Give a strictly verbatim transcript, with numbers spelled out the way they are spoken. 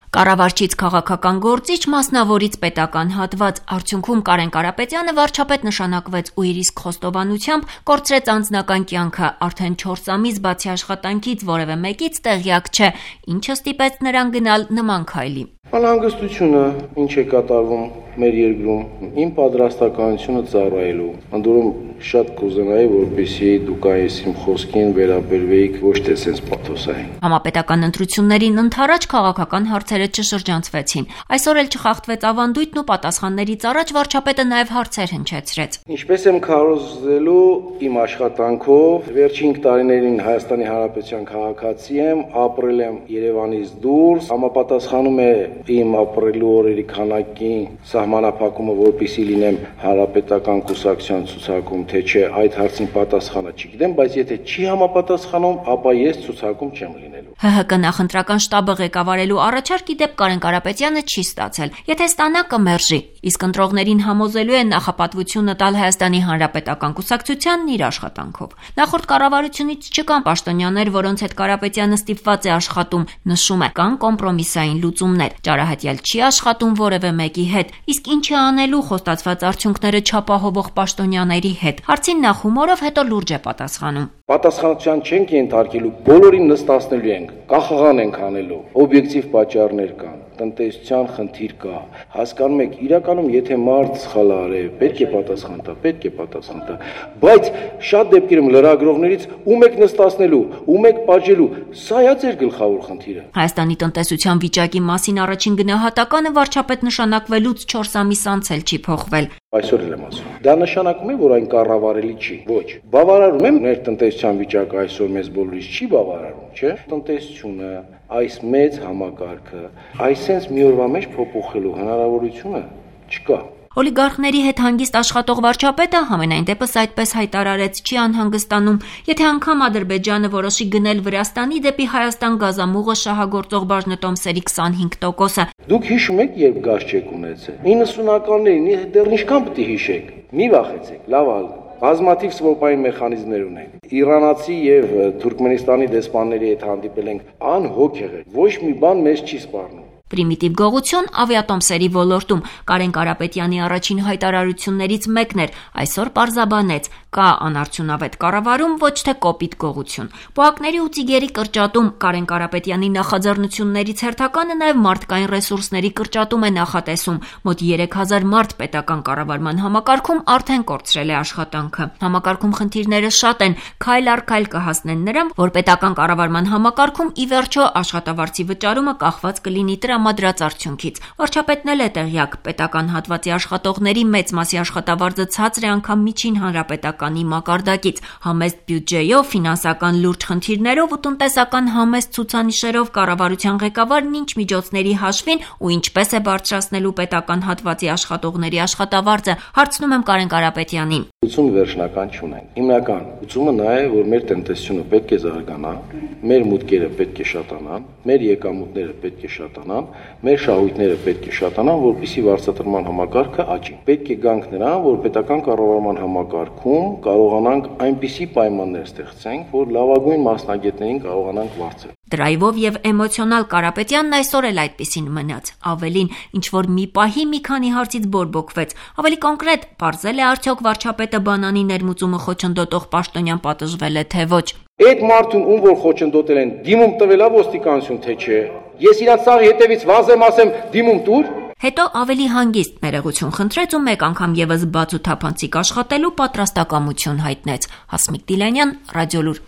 Կառավարչից քաղաքական գործիչ, մասնավորից պետական հատված, արդյունքում Կարեն Կարապետյանը վարչապետ նշանակվեց ու իր իսկ խոստովանությամբ կորցրեց անձնական կյանքը, արդեն չորս ամիս բացի աշխատանքից որևէ մեկից տեղյակ չէ, ինչը ստիպեց նրան գնալ նման քայլի։ Անհանգստությունը, ինչ է կատարվում մեր երկրում, իմ պատրաստականությունը ծառայելու, ընդորում շատ կուզենայի, որպեսզի դուք այս իմ խոսքին վերաբերվեիք ոչ թե սենց պաթոսային։ Համապետական ընտրություններին ընդառաջ քաղաքական հարցերը չշրջանցվեցին։ Այսօր էլ չխախտվեց ավանդույթն ու պատասխաններից առաջ վարչապետը նաև հարցեր հնչեցրեց։ Ինչպես եմ քարոզելու իմ աշխատանքով, վերջին տարիներին Հայաստանի Հանրապետության քաղաքացի եմ, ապրել եմ Երևանից դուրս, համապատասխանում է իմ ապրելու օրերի քանակին սահմանափակումը, որպեսզի լինեմ հանրապետական կուսակցության ցուցակում, թե չէ, այդ հարցին պատասխանը չգիտեմ, բայց եթե չի համապատասխանում, ապա ես ցուցակում չեմ լինելու։ ՀՀԿ նախընտրական շտաբը ղեկավարելու առաջարկ ի դեպ Կարեն Կարապետյանը չի ստացել։ Եթե ստանա կմերժի, իսկ ընտրողներին համոզելու է նախապատվությունը տալ Հայաստանի Հանրապետական կուսակցությանն իր աշխատանքով։ Նախորդ կառավարությունից չկան պաշտոնյաներ, որոնց հետ Կարապետյանը ստիպված է աշխատում, նշում է, կան կոմպրոմիսային լուծումներ։ Ճարահատյալ չի աշխատում որևէ մեկի հետ, իսկ ինչ է անելու խոստացված արդյունքները չապահովող պաշտոնյաների հետ։ Հարցին նա հումորով, հետո լուրջ է պատասխանում։ Պատասխանատվության չենք ենթարկելու, բոլորին նստացնելու ենք, կախղան ենք անելու, օբյեկտիվ պատճառներ կան, տնտեսության խնդիր կա, հասկանում եք, իրականում եթե մարդ սխալ արե, պետք է պատասխան տա, պետք է պատասխան տա, բայց շատ դեպքերում լրագրողներից ում եք նստացնելու, ում եք պատժելու, սա է ձեր գլխավոր խնդիրը։ Հայաստանի տնտեսության վիճակի մասին առաջին գնահատականը վարչապետ նշանակվելուց չորս ամիս անց էլ չի փոխվել։ Այսօր էլ եմ ասում։ Դա նշանակում է, որ այն կառավարելի չի։ Ոչ։ Բավարարում եմ մեր տնտեսության վիճակը այսօր մեզ բոլորից չի բավարարում, չէ՞։ Տնտեսությունը, այս մեծ համակարգը, այսպես մի օրվա մեջ փոփոխելու հնարավորությունը չկա։ Օլիգարխների հետ հանգիստ աշխատող վարչապետը համենայն դեպս այդպես հայտարարեց, չի անհանգստանում, եթե անգամ Ադրբեջանը որոշի գնել Վրաստանի դեպի Հայաստան գազամուղը շահագործող բաժնետոմսերի քսանհինգ տոկոսը։ Դուք հիշում եք, երբ գազ չեք ունեցել։ իննսունականներին դեռ ինչքան պետք է հիշեք։ Մի վախեցեք, լավ ալ։ Բազմաթիվ սվոպային մեխանիզմներ ունենք։ Իրանացի եւ Թուրքմենստանի դեսպանների հետ հանդիպել ենք, անհոգ եղել։ Ոչ մի բան մեզ չի սպառնում։ Պրիմիտիվ գողություն ավիատոմսերի ոլորտում Կարեն Կարապետյանի առաջին հայտարարություններից մեկն էր, այսօր պարզաբանեց, կա անարդյունավետ կառավարում, ոչ թե կոպիտ գողություն։ Պոակների ու ծիգերի կրճատում Կարեն Կարապետյանի նախաձեռնություններից հերթականը նաև մարդկային ռեսուրսների կրճատում է նախատեսում։ Մոտ երեք հազար մարդ պետական կառավարման համակարգում արդեն կորցրել է աշխատանքը։ Համակարգում խնդիրները շատ են, քայլ առ քայլ կհասնեն նրան, որ պետական կառավարման համակարգում ի վերջո աշխատավարձի վճարումը կախված կլինի տրամադրած արդյունքից։ Վարչապետն էլ է տեղյակ, պետական հատվածի աշխատողների մեծ մասի աշխատավարձը ցածր է անգամ միջին հանրապետականի մակարդակից։ Համեստ բյուջեով, ֆինանսական լուրջ խնդիրներով ու տնտեսական համեստ ցուցանիշերով կառավարության ղեկավարն ինչ միջոցների հաշվին ու ինչպես է բարձրացնելու պետական հատվածի աշխատողների աշխատավարձը, հարցնում եմ Կարեն Կարապետյանին։ Լուծում վերջնական չունենք։ Հիմնական լուծումը նա է, որ մեր տնտեսությունը պետք է զարգանա, մեր մուտքերը պետք է շատանան, մեր եկամուտները պետք է շատանան, մեր շահույթները պետք է շատանան, որպեսզի վարձատրման համակարգը աճի։ Պետք է գանք նրան, որ պետական կառավարման համակարգում կարողանանք այնպիսի պայմաններ ստեղծենք, որ լավագույն մասնագետներին կարողանանք վարձել։ Դրայվով եւ էմոցիոնալ Կարապետյանն այսօր էլ այդպեսին մնաց։ Ավելին, ինչ որ մի պահի մի քանի հարցից բորբոքվեց։ Ավելի կոնկրետ, բարձել է արդյոք վարչապետը բանանի ներմուծումը խոչընդոտող պաշտոնյան պատժվել է թե ոչ։ Այդ մարդուն, ում որ խոչընդոտել են, դիմում տվելա ոստիկանություն թե չէ։ Ես իրանց սաղի հետևից վազեմ, ասեմ դիմում տուր։ Հետո ավելի հանգիստ ներողություն խնդրեց ու մեկ անգամ եւս բաց ու թափանցիկ աշխատելու պատրաստակամություն հայտնեց։ Հասմիկ Դիլանյան, Ռադիոլուր։